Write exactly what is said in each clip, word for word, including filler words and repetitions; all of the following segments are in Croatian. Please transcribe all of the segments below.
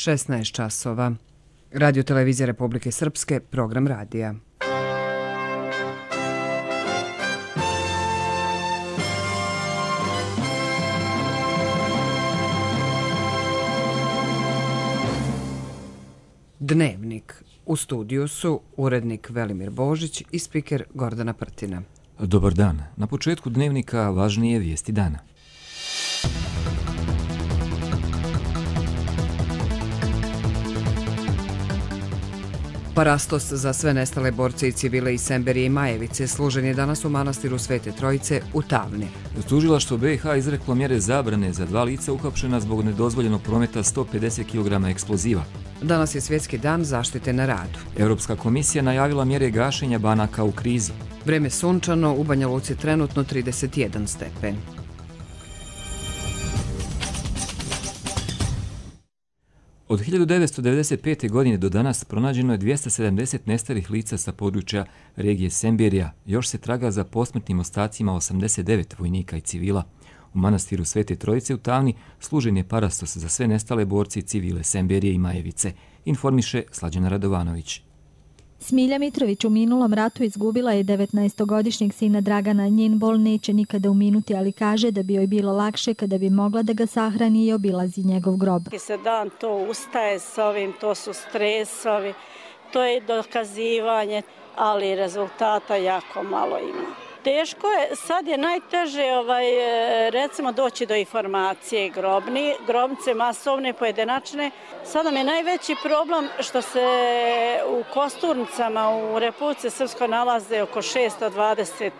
šesnaest časova. Radio Televizija Republike Srpske, program radija. Dnevnik. U studiju su urednik Velimir Božić i spiker Gordana Prtina. Dobar dan. Na početku dnevnika važnije vijesti dana. Parastos za sve nestale borce i civile iz Semberije i Majevice služen je danas u manastiru Svete Trojice u Tavni. Tužilaštvo B i H izreklo mjere zabrane za dva lica uhapšena zbog nedozvoljenog prometa sto pedeset kilograma eksploziva. Danas je svjetski dan zaštite na radu. Europska komisija najavila mjere gašenja banaka u krizi. Vreme sunčano, u Banja Luci trenutno trideset jedan stepen. Od hiljadu devetsto devedeset pete. godine do danas pronađeno je dvjesto sedamdeset nestalih lica sa područja regije Semberija. Još se traga za posmrtnim ostacima osamdeset devet vojnika i civila. U manastiru Svete Trojice u Tavni služen je parastos za sve nestale borce i civile Semberije i Majevice, informiše Slađana Radovanović. Smilja Mitrović u minulom ratu izgubila je devetnaestogodišnjeg sina Dragana. Njen bol neće nikada uminuti, ali kaže da bi joj bilo lakše kada bi mogla da ga sahrani i obilazi njegov grob. Se dan to ustaje s ovim, to su stresovi, to je dokazivanje, ali rezultata jako malo ima. Teško je, sad je najteže ovaj, recimo doći do informacije grobni, grobnice masovne, pojedinačne. Sada mi je najveći problem što se u kosturnicama u Republici Srpskoj nalaze oko šesto dvadeset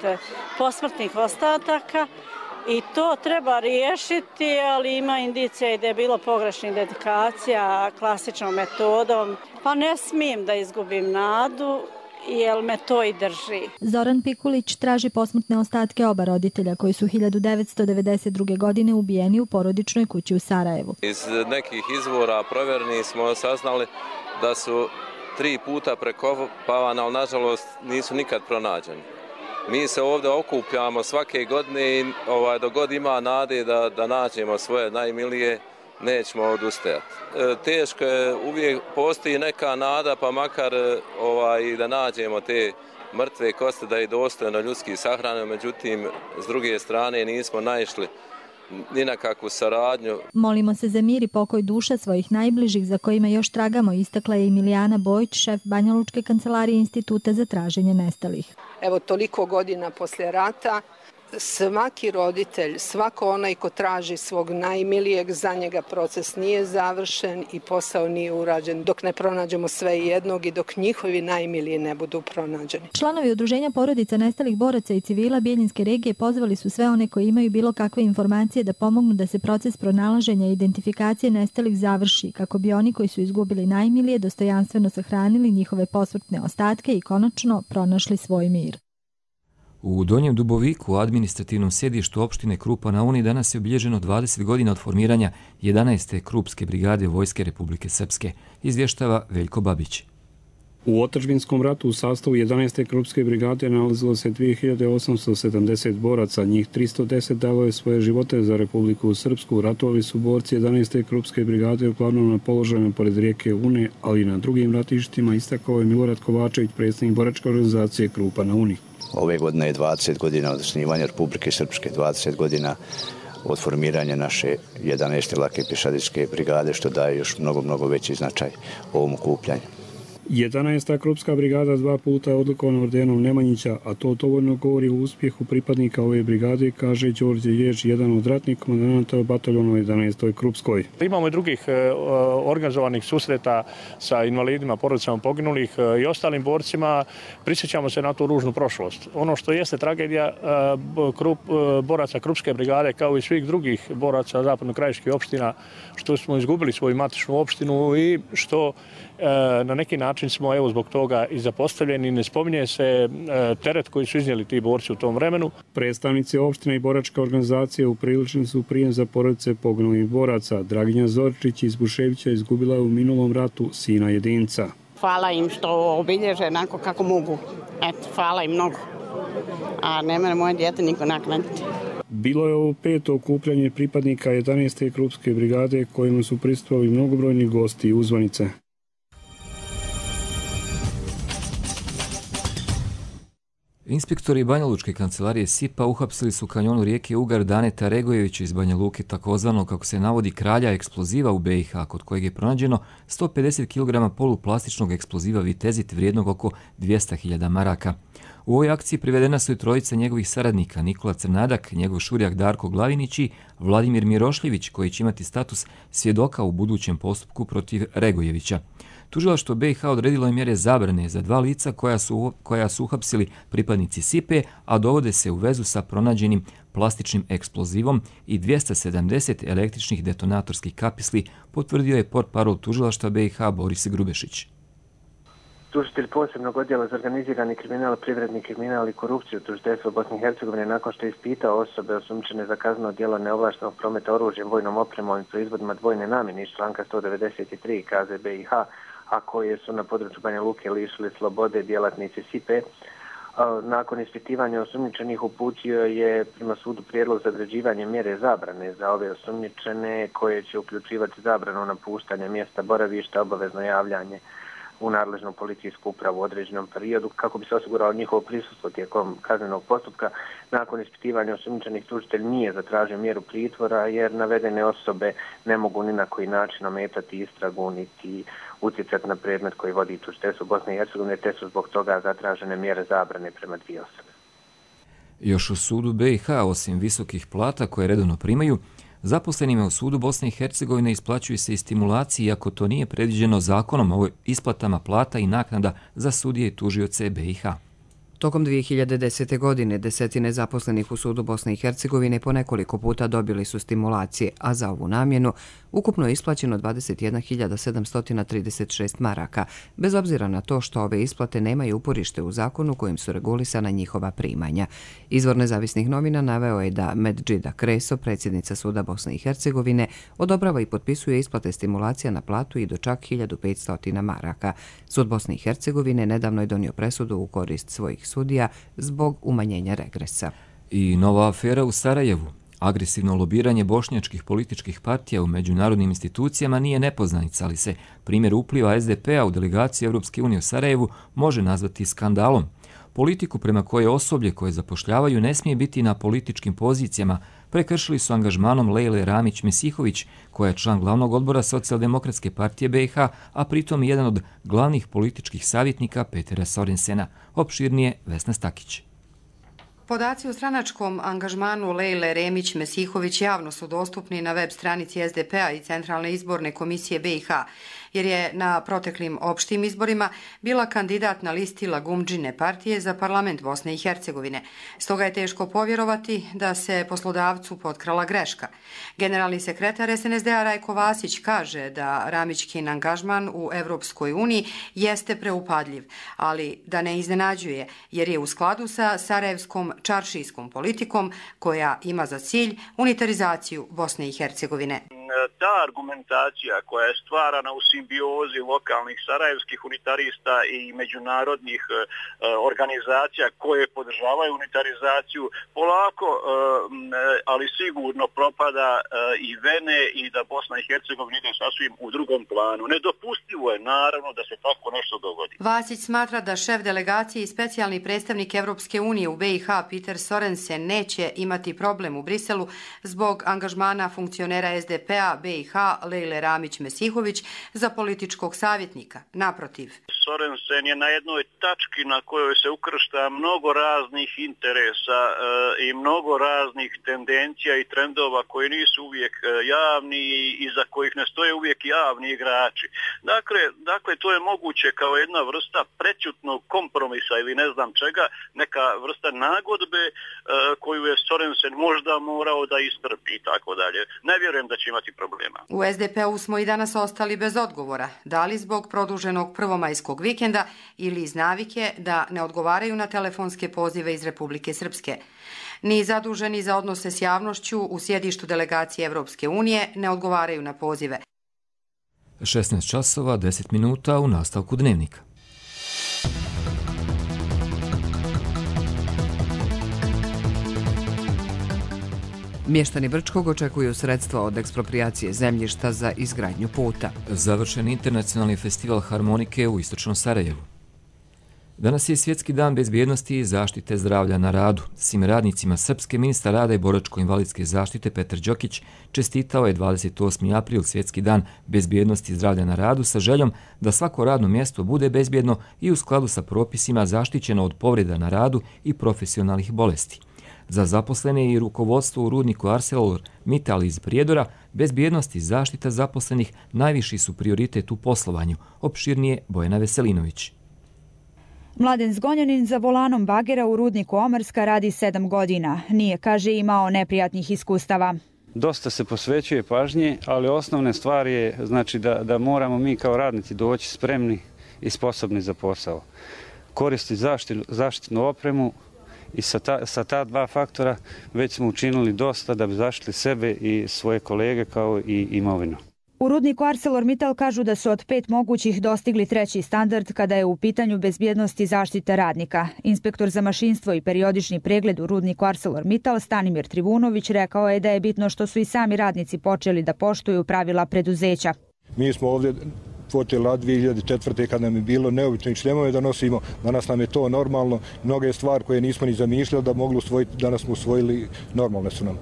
posmrtnih ostataka i to treba riješiti, ali ima indicija i da je bilo pogrešnih dedikacija klasičnom metodom. Pa ne smijem da izgubim nadu, jer me to i drži. Zoran Pikulić traži posmrtne ostatke oba roditelja koji su hiljadu devetsto devedeset druge. godine ubijeni u porodičnoj kući u Sarajevu. Iz nekih izvora provjernih smo saznali da su tri puta prekopavani, ali nažalost nisu nikad pronađeni. Mi se ovdje okupljamo svake godine i ovaj, dok god ima nade da, da nađemo svoje najmilije, nećemo odustajati. E, teško je, uvijek postoji neka nada, pa makar ovaj, da nađemo te mrtve koste, da je dostojno ljudski sahrane, međutim, s druge strane nismo naišli ni na kakvu saradnju. Molimo se za mir i pokoj duša svojih najbližih za kojima još tragamo, istakla je Emilijana Bojić, šef Banjalučke kancelarije Instituta za traženje nestalih. Evo toliko godina poslije rata, svaki roditelj, svako onaj ko traži svog najmilijeg, za njega proces nije završen i posao nije urađen dok ne pronađemo sve jednog i dok njihovi najmiliji ne budu pronađeni. Članovi Udruženja porodica nestalih boraca i civila Bijeljinske regije pozvali su sve one koji imaju bilo kakve informacije da pomognu da se proces pronalaženja i identifikacije nestalih završi, kako bi oni koji su izgubili najmilije dostojanstveno sahranili njihove posmrtne ostatke i konačno pronašli svoj mir. U Donjem Duboviku, u administrativnom sjedištu opštine Krupa na Uni, danas je obilježeno dvadeset godina od formiranja jedanaeste Krupske brigade Vojske Republike Srpske, izvještava Veljko Babić. U otadžbinskom ratu u sastavu jedanaeste Krupske brigade nalazilo se dvije hiljade osamsto sedamdeset boraca, njih tristo deset dalo je svoje živote za Republiku Srpsku. Ratovali su borci jedanaeste Krupske brigade uglavnom na položajima pored rijeke Une, ali i na drugim ratištima, istakao je Milorad Kovačević, predsjednik boračke organizacije Krupa na Uni. Ove godine je dvadeset godina od osnivanja Republike Srpske, dvadeset godina od formiranja naše jedanaeste lake pješadijske brigade, što daje još mnogo, mnogo veći značaj ovom okupljanju. jedanaesta Krupska brigada dva puta je odlikovana ordenom Nemanjića, a to dovoljno govori o uspjehu pripadnika ove brigade, kaže Đorđe Jež, jedan od ratnih komandanata bataljona jedanaestoj Krupskoj. Imamo i drugih e, organizovanih susreta sa invalidima, porodicama poginulih e, i ostalim borcima. Prisjećamo se na tu ružnu prošlost. Ono što jeste tragedija e, krup, e, boraca Krupske brigade, kao i svih drugih boraca zapadno-krajiških opština, što smo izgubili svoju matičnu opštinu i što e, na neki način smo evo zbog toga i zapostavljeni. Ne spominje se e, teret koji su iznijeli ti borci u tom vremenu. Predstavnici opštine i boračke organizacije upriličili su prijem za porodice poginulih boraca. Draginja Zoričić iz Buševića izgubila je u minulom ratu sina jedinca. Hvala im što obilježe onako kako mogu. Eto, hvala im mnogo. A ne mene moje dijete niko naknaditi. Bilo je ovo peto okupljanje pripadnika jedanaeste Krupske brigade kojima su prisustvovali mnogobrojni gosti i uzvanice. Inspektori Banjalučke kancelarije S I P-a uhapsili su u kanjonu rijeke Ugar Daneta Regojevića iz Banja Luke, takozvano, kako se navodi, kralja eksploziva u B i H, kod kojeg je pronađeno sto pedeset kilograma poluplastičnog eksploziva vitezit vrijednog oko dvjesto hiljada maraka. U ovoj akciji privedena su i trojica njegovih saradnika, Nikola Crnadak, njegov šurijak Darko Glavinić i Vladimir Mirošljević, koji će imati status svjedoka u budućem postupku protiv Regojevića. Tužilaštvo B i H odredilo je mjere zabrane za dva lica koja su, koja su uhapsili pripadnici S I P-e, a dovode se u vezu sa pronađenim plastičnim eksplozivom i dvjesto sedamdeset električnih detonatorskih kapisli, potvrdio je portparol tužilaštva B i H Boris Grubešić. Tužitelj posebnog odjela za organizirani kriminal, privredni kriminal i korupciju tužiteljstva Bosne i Hercegovine nakon što je ispitao osobe osumnjičene za kazneno djelo neovlaštenog prometa oružjem, vojnom opremom i proizvodima dvojne namjene iz članka sto devedeset tri K Z B i H, a koje su na području Banja Luke lišili slobode djelatnici S I P-e. Nakon ispitivanja osumnjičenih uputio je prema sudu prijedlog za određivanje mjere zabrane za ove osumnjičene, koje će uključivati zabranu napuštanja mjesta boravišta, obavezno javljanje u nadležnu policijsku upravu u određenom periodu kako bi se osiguralo njihovo prisustvo tijekom kaznenog postupka. Nakon ispitivanja osumnjičenih tužitelj nije zatražio mjeru pritvora jer navedene osobe ne mogu ni na koji način ometati istragu niti utjecati na predmet koji vodi tužiteljstvo Bosne i Hercegovine, te su zbog toga zatražene mjere zabrane prema dvije osobe. Još u sudu B i H, osim visokih plata koje redovno primaju, zaposlenima u sudu Bosne i Hercegovine isplaćuju se i stimulacije, iako to nije predviđeno zakonom o isplatama plata i naknada za sudije i tužioce B i H. Tokom dvije hiljade desete. godine desetine zaposlenih u sudu Bosne i Hercegovine po nekoliko puta dobili su stimulacije, a za ovu namjenu ukupno je isplaćeno dvadeset jedna hiljada sedamsto trideset šest maraka, bez obzira na to što ove isplate nemaju uporište u zakonu kojim su regulisana njihova primanja. Izvor nezavisnih novina naveo je da Medžida Kreso, predsjednica suda Bosne i Hercegovine, odobrava i potpisuje isplate stimulacija na platu i do čak hiljadu petsto maraka. Sud Bosne i Hercegovine nedavno je donio presudu u korist svojih sudija zbog umanjenja regresa. I nova afera u Sarajevu. Agresivno lobiranje bošnjačkih političkih partija u međunarodnim institucijama nije nepoznanica, ali se primjer upliva S D P-a u delegaciju Europske unije u Sarajevu može nazvati skandalom. Politiku prema kojoj osoblje koje zapošljavaju ne smije biti na političkim pozicijama prekršili su angažmanom Lejle Ramić-Mesihović, koja je član glavnog odbora Socijaldemokratske partije B i H, a pritom jedan od glavnih političkih savjetnika Petera Sorensena. Opširnije Vesna Stakić. Podaci o stranačkom angažmanu Lejle Remić-Mesihović javno su dostupni na web stranici S D P-a i Centralne izborne komisije B i H, jer je na proteklim opštim izborima bila kandidat na listi Lagumdžine partije za parlament Bosne i Hercegovine. Stoga je teško povjerovati da se poslodavcu potkrala greška. Generalni sekretar S N S D-a Rajko Vasić kaže da Ramićkin angažman u Evropskoj uniji jeste preupadljiv, ali da ne iznenađuje, jer je u skladu sa sarajevskom čaršijskom politikom koja ima za cilj unitarizaciju Bosne i Hercegovine. Ta argumentacija koja je stvarana u simbiozi lokalnih sarajevskih unitarista i međunarodnih e, organizacija koje podržavaju unitarizaciju polako, e, ali sigurno propada e, i vene i da Bosna i Hercegovina ide sasvim u drugom planu. Nedopustivo je naravno da se tako nešto dogodi. Vasić smatra da šef delegacije i specijalni predstavnik Evropske unije u B i H Peter Sorensen neće imati problem u Briselu zbog angažmana funkcionera S D P-a B i H Lejle Ramić-Mesihović za političkog savjetnika. Naprotiv. Sorensen je na jednoj tački na kojoj se ukršta mnogo raznih interesa e, i mnogo raznih tendencija i trendova koji nisu uvijek javni i za kojih ne stoje uvijek javni igrači. Dakle, dakle to je moguće kao jedna vrsta prećutnog kompromisa ili ne znam čega, neka vrsta nagodbe e, koju je Sorensen možda morao da istrpi i tako dalje. Ne vjerujem da će imati problema. U S D P-u smo i danas ostali bez odgovora, da li zbog produženog prvomajskog vikenda ili iz navike da ne odgovaraju na telefonske pozive iz Republike Srpske. Ni zaduženi za odnose s javnošću u sjedištu delegacije Evropske unije ne odgovaraju na pozive. šesnaest časova, deset minuta u nastavku dnevnika. Mještani Brčkog očekuju sredstva od eksproprijacije zemljišta za izgradnju puta. Završen internacionalni festival harmonike u istočnom Sarajevu. Danas je Svjetski dan bezbjednosti i zaštite zdravlja na radu. Svim radnicima Srpske ministar rada i boračko-invalidske zaštite Petar Đokić čestitao je dvadeset osmi april Svjetski dan bezbjednosti i zdravlja na radu sa željom da svako radno mjesto bude bezbjedno i u skladu sa propisima zaštićeno od povreda na radu i profesionalnih bolesti. Za zaposlene i rukovodstvo u rudniku ArcelorMittal iz Prijedora, bezbjednost i zaštita zaposlenih najviši su prioritet u poslovanju, opširnije Bojana Veselinović. Mladen Zgonjanin za volanom bagera u rudniku Omarska radi sedam godina. Nije, kaže, imao neprijatnih iskustava. Dosta se posvećuje pažnje, ali osnovne stvari je znači, da, da moramo mi kao radnici doći spremni i sposobni za posao. Koristiti zaštitu, zaštitnu opremu i sa ta, sa ta dva faktora već smo učinili dosta da bi zaštitili sebe i svoje kolege kao i imovinu. U rudniku ArcelorMittal kažu da su od pet mogućih dostigli treći standard kada je u pitanju bezbjednost i zaštita radnika. Inspektor za mašinstvo i periodični pregled u rudniku ArcelorMittal Stanimir Trivunović rekao je da je bitno što su i sami radnici počeli da poštuju pravila preduzeća. Mi smo ovdje počeli dvije hiljade četvrte kad nam je bilo neobično i šljemove da nosimo. Danas nam je to normalno. Mnoge stvari koje nismo ni zamišljali da mogli usvojiti, danas smo usvojili, normalne su nam.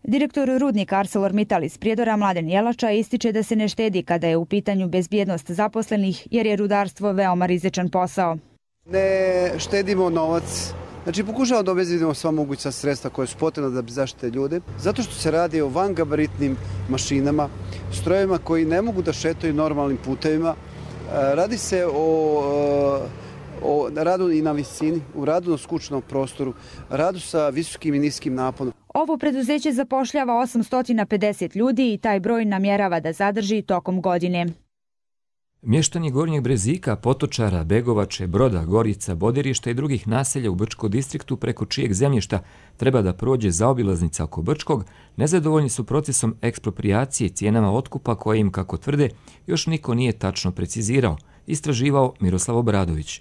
Direktor rudnika ArcelorMittal iz Prijedora Mladen Jelača ističe da se ne štedi kada je u pitanju bezbjednost zaposlenih jer je rudarstvo veoma rizičan posao. Ne štedimo novac, znači pokušamo da obezbjedimo sva moguća sredstva koje su potrebna da bi zaštite ljude, zato što se radi o vangabaritnim mašinama, strojevima koji ne mogu da šetaju normalnim putevima. Radi se o, o radu i na visini, u radu na skučnom prostoru, radu sa visokim i niskim naponom. Ovo preduzeće zapošljava osamsto pedeset ljudi i taj broj namjerava da zadrži tokom godine. Mještani Gornjeg Brezika, Potočara, Begovače, Broda, Gorica, Bodirišta i drugih naselja u Brčko distriktu preko čijeg zemljišta treba da prođe zaobilaznica oko Brčkog, nezadovoljni su procesom eksproprijacije cijenama otkupa koje im, kako tvrde, još niko nije tačno precizirao, istraživao Miroslav Obradović.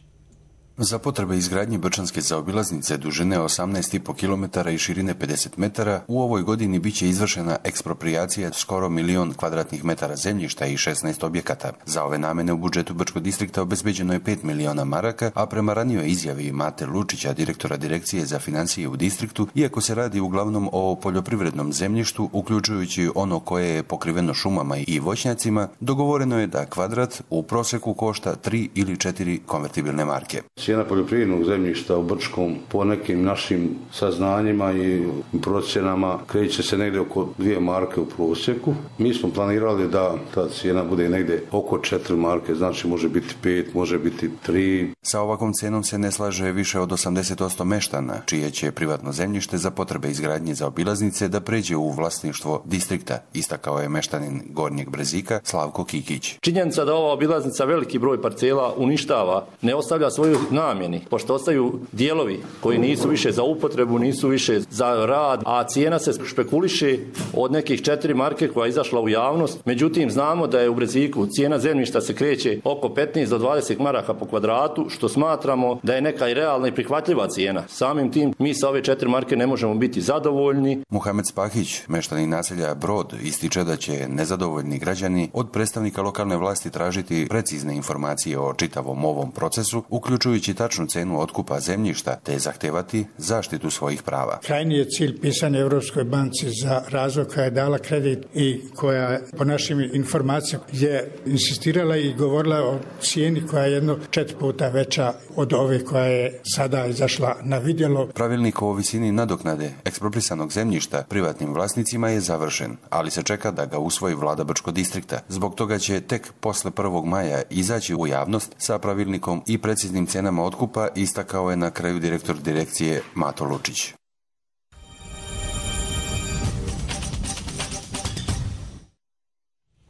Za potrebe izgradnje brčanske zaobilaznice dužine osamnaest i po kilometara i širine pedeset metara u ovoj godini biće izvršena eksproprijacija skoro milion kvadratnih metara zemljišta i šesnaest objekata. Za ove namene u budžetu Brčkog distrikta obezbeđeno je pet miliona maraka, a prema ranijoj izjavi Mate Lučića, direktora Direkcije za financije u distriktu, iako se radi uglavnom o poljoprivrednom zemljištu, uključujući ono koje je pokriveno šumama i voćnjacima, dogovoreno je da kvadrat u proseku košta tri ili četiri konvertibilne marke. Cijena poljoprivrednog zemljišta u Brčkom po nekim našim saznanjima i procjenama kreće se negdje oko dvije marke u prosjeku. Mi smo planirali da ta cijena bude negdje oko četiri marke, znači može biti pet, može biti tri. Sa ovakvom cijenom se ne slaže više od osamdeset posto meštana, čije će privatno zemljište za potrebe izgradnje zaobilaznice da pređe u vlasništvo distrikta, istakao je meštanin Gornjeg Brezika Slavko Kikić. Činjenica da ova obilaznica veliki broj parcela uništava, ne ostavlja svoju namjeni, pošto ostaju dijelovi koji nisu više za upotrebu, nisu više za rad, a cijena se špekuliše od nekih četiri marke koja je izašla u javnost. Međutim, znamo da je u Breziku cijena zemljišta se kreće oko petnaest do dvadeset maraka po kvadratu, što smatramo da je neka i realna i prihvatljiva cijena. Samim tim, mi sa ove četiri marke ne možemo biti zadovoljni. Muhamed Spahić, meštanin naselja Brod, ističe da će nezadovoljni građani od predstavnika lokalne vlasti tražiti precizne informacije o čitavom ovom procesu, uključujući tačnu cenu otkupa zemljišta, te zahtevati zaštitu svojih prava. Krajnji je cilj pisanja Europskoj banci za razvoj koja je dala kredit i koja po našim informacijama je insistirala i govorila o cijeni koja je jedno četiri puta veća od ove koja je sada izašla na vidjelo. Pravilnik o visini nadoknade eksproprisanog zemljišta privatnim vlasnicima je završen, ali se čeka da ga usvoji vlada Brčkog distrikta. Zbog toga će tek posle prvog maja izaći u javnost sa pravilnikom i preciznim cenama otkupa, istakao je na kraju direktor direkcije Mato Lučić.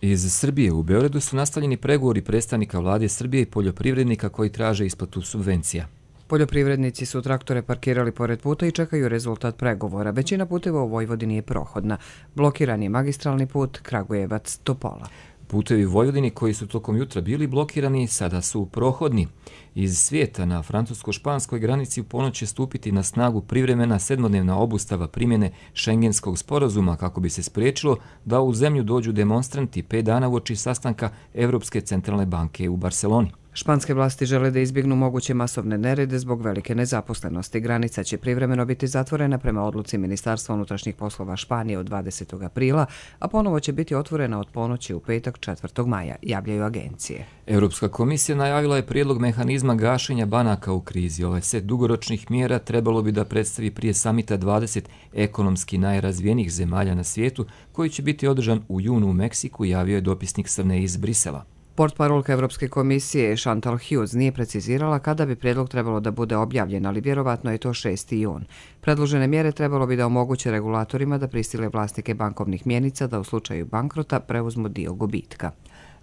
Iz Srbije u Beogradu su nastavljeni pregovori predstavnika vlade Srbije i poljoprivrednika koji traže isplatu subvencija. Poljoprivrednici su traktore parkirali pored puta i čekaju rezultat pregovora. Većina puteva u Vojvodini je prohodna. Blokiran je magistralni put Kragujevac-Topola. Putevi u Vojvodini koji su tokom jutra bili blokirani sada su prohodni. Iz svijeta na francusko-španskoj granici u ponoć će stupiti na snagu privremena sedmodnevna obustava primjene Schengenskog sporazuma kako bi se spriječilo da u zemlju dođu demonstranti pet dana uoči sastanka Europske centralne banke u Barceloni. Španske vlasti žele da izbjegnu moguće masovne nerede zbog velike nezaposlenosti. Granica će privremeno biti zatvorena prema odluci Ministarstva unutrašnjih poslova Španije od dvadesetog aprila, a ponovo će biti otvorena od ponoći u petak četvrtog maja, javljaju agencije. Europska komisija najavila je prijedlog mehanizma gašenja banaka u krizi. Ovaj set dugoročnih mjera trebalo bi da predstavi prije samita dvadeset ekonomski najrazvijenijih zemalja na svijetu, koji će biti održan u junu u Meksiku, javio je dopisnik Srne iz Brisela. Portparolka Evropske komisije Chantal Hughes nije precizirala kada bi prijedlog trebalo da bude objavljen, ali vjerovatno je to šesti jun. Predložene mjere trebalo bi da omoguće regulatorima da prisile vlasnike bankovnih mjenica da u slučaju bankrota preuzmu dio gubitka.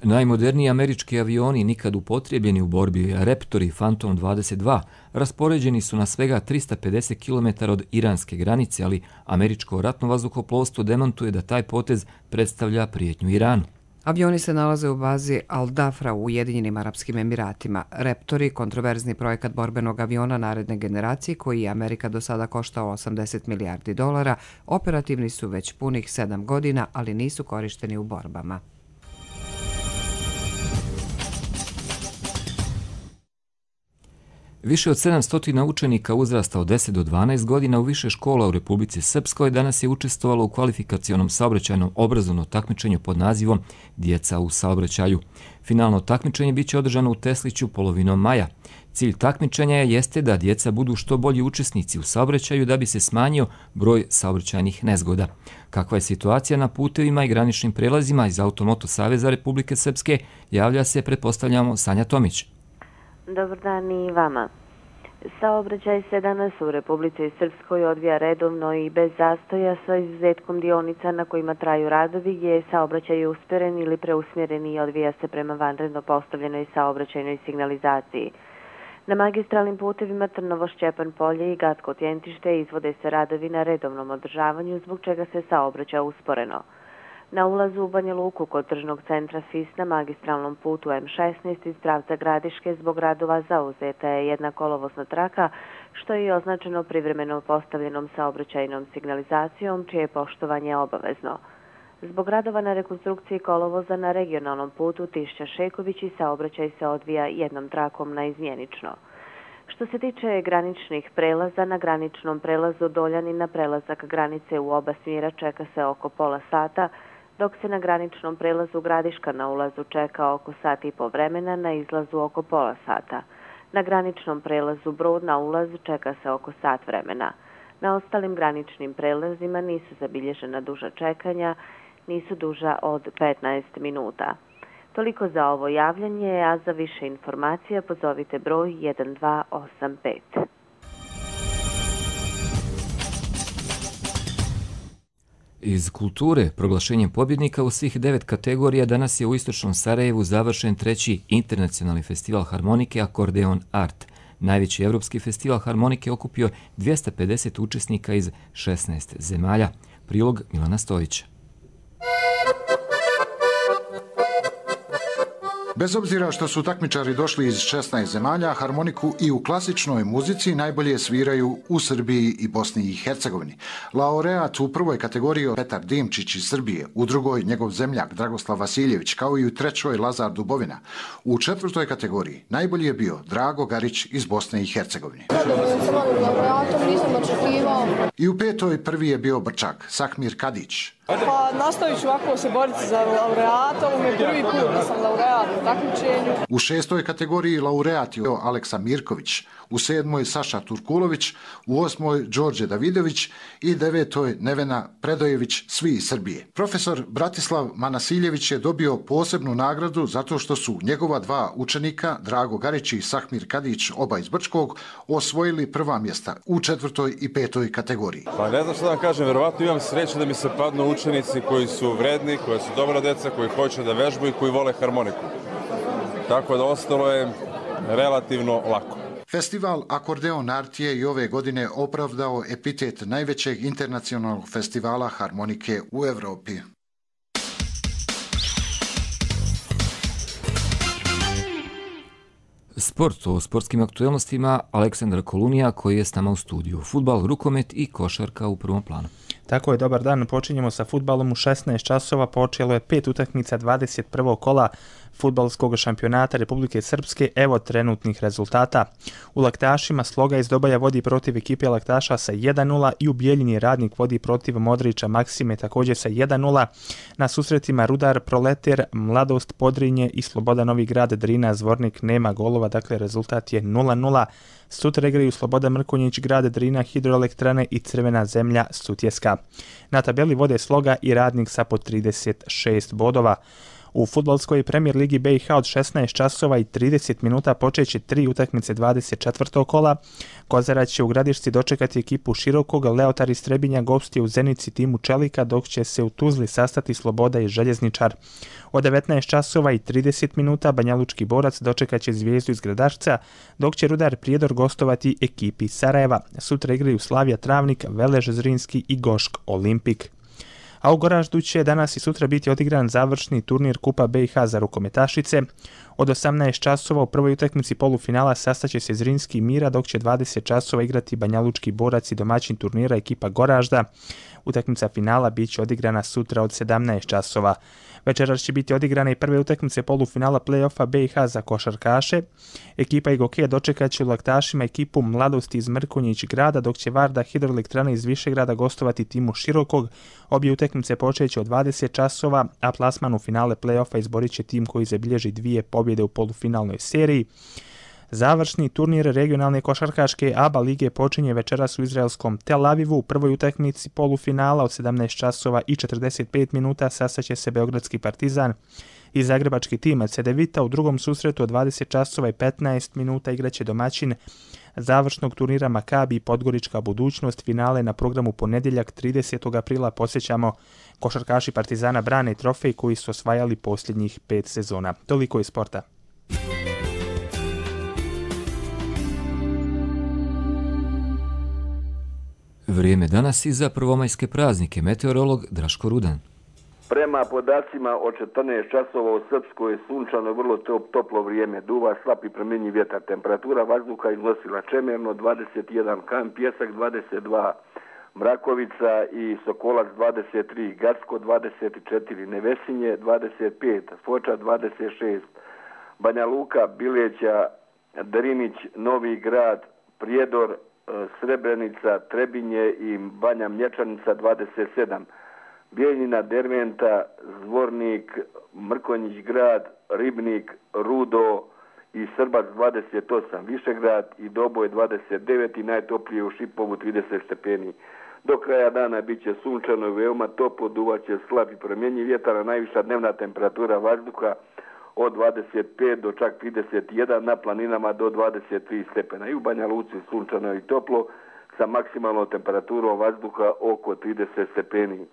Najmoderniji američki avioni nikad upotrijebljeni u borbi, Raptori Phantom dvadeset dva, raspoređeni su na svega trista pedeset kilometara od iranske granice, ali američko ratno vazduhoplovstvo demantuje da taj potez predstavlja prijetnju Iranu. Avioni se nalaze u bazi Al-Dafra u Ujedinjenim Arapskim Emiratima. Raptori, kontroverzni projekat borbenog aviona naredne generacije koji je Amerika do sada koštao osamdeset milijardi dolara, operativni su već punih sedam godina, ali nisu korišteni u borbama. Više od sedamsto učenika uzrasta od deset do dvanaest godina u više škola u Republici Srpskoj danas je učestvovalo u kvalifikacionom saobraćajnom obrazovnom takmičenju pod nazivom Djeca u saobraćaju. Finalno takmičenje biće održano u Tesliću polovinom maja. Cilj takmičenja jeste da djeca budu što bolji učesnici u saobraćaju da bi se smanjio broj saobraćajnih nezgoda. Kakva je situacija na putevima i graničnim prelazima iz Automoto Saveza Republike Srpske, javlja se, pretpostavljamo, Sanja Tomić. Dobar dan i vama. Saobraćaj se danas u Republici Srpskoj odvija redovno i bez zastoja sa izuzetkom dionica na kojima traju radovi gdje je saobraćaj uspjeren ili preusmjeren i odvija se prema vanredno postavljenoj saobraćajnoj signalizaciji. Na magistralnim putevima Trnovo-Šćepan polje i Gatko-Tjentište izvode se radovi na redovnom održavanju zbog čega se saobraća usporeno. Na ulazu u Banja Luku kod tržnog centra F I S na magistralnom putu M šesnaest iz pravca Gradiške zbog radova zauzeta je jedna kolovozna traka, što je i označeno privremeno postavljenom saobraćajnom signalizacijom, čije je poštovanje obavezno. Zbog radova na rekonstrukciji kolovoza na regionalnom putu Tišća-Šeković i saobraćaj se odvija jednom trakom naizmjenično. Što se tiče graničnih prelaza, na graničnom prelazu Doljani na prelazak granice u oba smjera čeka se oko pola sata, dok se na graničnom prelazu Gradiška na ulazu čeka oko sat i po vremena, na izlazu oko pola sata. Na graničnom prelazu Brod na ulazu čeka se oko sat vremena. Na ostalim graničnim prelazima nisu zabilježena duža čekanja, nisu duža od petnaest minuta. Toliko za ovo javljanje, a za više informacija pozovite broj jedan dva osam pet. Iz kulture, proglašenjem pobjednika u svih devet kategorija, danas je u istočnom Sarajevu završen treći internacionalni festival harmonike Akordeon Art. Najveći evropski festival harmonike okupio dvjesto pedeset učesnika iz šesnaest zemalja. Prilog Milana Stojića. Bez obzira što su takmičari došli iz šesnaest zemalja, harmoniku i u klasičnoj muzici najbolje sviraju u Srbiji i Bosni i Hercegovini. Laureat u prvoj kategoriji Petar Dimčić iz Srbije, u drugoj njegov zemljak Dragoslav Vasiljević, kao i u trećoj Lazar Dubovina. U četvrtoj kategoriji najbolji je bio Drago Garić iz Bosne i Hercegovine. I u petoj prvi je bio Brčak, Sakmir Kadić. Pa nastavit ću ovako se boriti za laureata, ovo mi je prvi put da sam laureat u takmičenju. U šestoj kategoriji laureat je Aleksa Mirković, u sedmoj Saša Turkulović, u osmoj Đorđe Davidović i devetoj Nevena Predojević, svi iz Srbije. Profesor Bratislav Manasiljević je dobio posebnu nagradu zato što su njegova dva učenika, Drago Garić i Sakmir Kadić, oba iz Brčkog, osvojili prva mjesta u četvrtoj i petoj kategoriji. Pa ne znam što da vam kažem, verovatno imam sreće da mi se padnu učenici koji su vredni, koji su dobra deca, koji hoće da vežbaju i koji vole harmoniku. Tako da ostalo je relativno lako. Festival Akordeon Art je i ove godine opravdao epitet najvećeg internacionalnog festivala harmonike u Evropi. Sport, o sportskim aktualnostima Aleksandar Kolunija koji je s nama u studiju. Fudbal, rukomet i košarka u prvom planu. Tako je, dobar dan. Počinjemo sa fudbalom u šesnaest časova. Počelo je pet utakmica dvadeset prvog kola fudbalskog šampionata Republike Srpske. Evo trenutnih rezultata. U Laktašima Sloga iz Dobaja vodi protiv ekipe Laktaša sa jedan nula i u Bijeljini Radnik vodi protiv Modrića Maksime također sa jedan nula. Na susretima Rudar, Proleter, Mladost, Podrinje i Sloboda Novi Grad, Drina, Zvornik nema golova, dakle rezultat je nula nula. Sutra igraju Sloboda Mrkonjić, Grad, Drina, Hidroelektrane i Crvena zemlja Sutjeska. Na tabeli vode Sloga i Radnik sa po trideset šest bodova. U fudbalskoj premijer ligi B i H od šesnaest časova i trideset minuta počeće tri utakmice dvadeset četvrtog kola. Kozarac će u Gradišci dočekati ekipu Širokog, Leotar iz Trebinja gostuje u Zenici timu Čelika, dok će se u Tuzli sastati Sloboda i Željezničar. Od devetnaest časova i trideset minuta Banjalučki Borac dočekat će Zvijezdu iz Gradašca, dok će Rudar Prijedor gostovati ekipi Sarajeva. Sutra igraju Slavija Travnik, Velež Zrinski i Gošk Olimpik. A u Goraždu će danas i sutra biti odigran završni turnir Kupa B i H za rukometašice. Od osamnaest časova u prvoj utakmici polufinala sastaće se Zrinski i Mira, dok će dvadeset časova igrati Banjalučki Borac i domaćin turnira ekipa Goražda. Utakmica finala bit će odigrana sutra od sedamnaest časova. Večeras će biti odigrane i prve utakmice polufinala play-offa B i H za košarkaše. Ekipa Igokeja dočekat će u Laktašima ekipu Mladosti iz Mrkonjić Grada, dok će Varda Hidroelektrana iz Višegrada gostovati timu Širokog. Obje utakmice počeće od dvadeset časova, a plasman u finale play-offa izborit će tim koji zabilježi dvije pobjede u polufinalnoj seriji. Završni turnir regionalne košarkaške A B A lige počinje večeras u izraelskom Tel Avivu. U prvoj utakmici polufinala od sedamnaest časova i četrdeset pet minuta sastaće se Beogradski Partizan i zagrebački tim Cedevita. U drugom susretu od dvadeset časova i petnaest minuta igraće domaćin završnog turnira Makabi i Podgorička budućnost. Finale na programu ponedjeljak tridesetog aprila. Posjećamo, košarkaši Partizana brane trofej koji su osvajali posljednjih pet sezona. Toliko iz sporta. Vrijeme danas i za prvomajske praznike. Meteorolog Draško Rudan. Prema podacima od četrnaest časova u Srpskoj je sunčano, vrlo toplo vrijeme, duva slab i promjenjiv vjetar. Temperatura vazduha iznosila Čemerno dvadeset jedan, Kan Pjesak dvadeset dva, Mrakovica i Sokolac dvadeset tri, Gacko dvadeset četiri, Nevesinje dvadeset pet, Foča dvadeset šest, Banja Luka, Bileća, Drinić, Novi Grad, Prijedor, Srebrenica, Trebinje i Banja Mlječanica dvadeset sedam, Bijeljina, Derventa, Zvornik, Mrkonjić Grad, Ribnik, Rudo i Srbac dvadeset osam, Višegrad i Doboj dvadeset devet i najtoplije u Šipovu trideset stepeni. Do kraja dana bit će sunčano i veoma toplo, duvaće slab i promjenjiv vjetar, a najviša dnevna temperatura vazduha od dvadeset pet do čak trideset jedan, na planinama do dvadeset tri stepena. I u Banja Luci sunčano i toplo sa maksimalnom temperaturom vazduha oko trideset stepeni.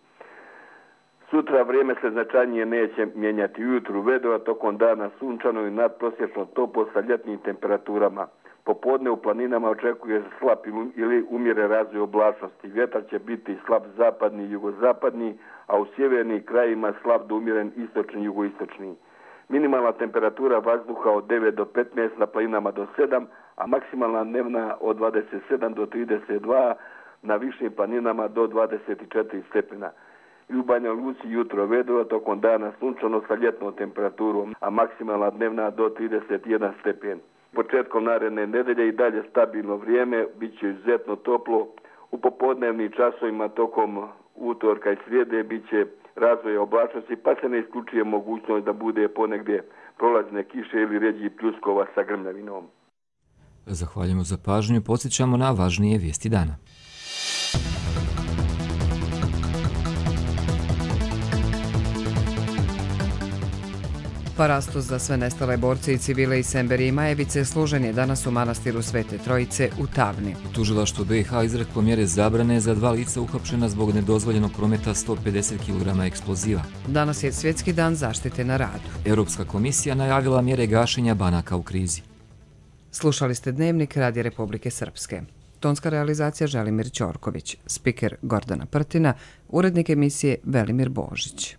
Sutra vrijeme se značajnije neće mijenjati. Ujutru vedro, a tokom dana sunčano i nadprosječno toplo sa ljetnim temperaturama. Popodne u planinama očekuje se slab ili umjeren razvoj oblačnosti. Vjetar će biti slab zapadni i jugozapadni, a u sjevernim krajima slab do umjeren istočni i jugoistočni. Minimalna temperatura vazduha od devet do petnaest, na planinama do sedam, a maksimalna dnevna od dvadeset sedam do trideset dva, na višim planinama do dvadeset četiri stepena. I u Banja Luci jutro vedro, tokom dana sunčano sa ljetnom temperaturom, a maksimalna dnevna do trideset jedan stepen. Početkom naredne nedelje i dalje stabilno vrijeme, bit će izuzetno toplo. U popodnevnim časovima tokom utorka i srijede bit će razvoja oblačnosti, pa se ne isključuje mogućnost da bude ponegdje prolazne kiše ili ređi pljuskova sa grmljavinom. Zahvaljujemo za pažnju, podsjećamo na važnije vijesti dana. Parastos za sve nestale borce i civile iz Semberije i Majevice služen je danas u manastiru Svete Trojice u Tavni. Tužilaštvo B i H izreklo mjere zabrane za dva lica uhapšena zbog nedozvoljenog prometa sto pedeset kilograma eksploziva. Danas je Svjetski dan zaštite na radu. Europska komisija najavila mjere gašenja banaka u krizi. Slušali ste Dnevnik Radija Republike Srpske. Tonska realizacija Želimir Ćorković, spiker Gordana Prtina, urednik emisije Velimir Božić.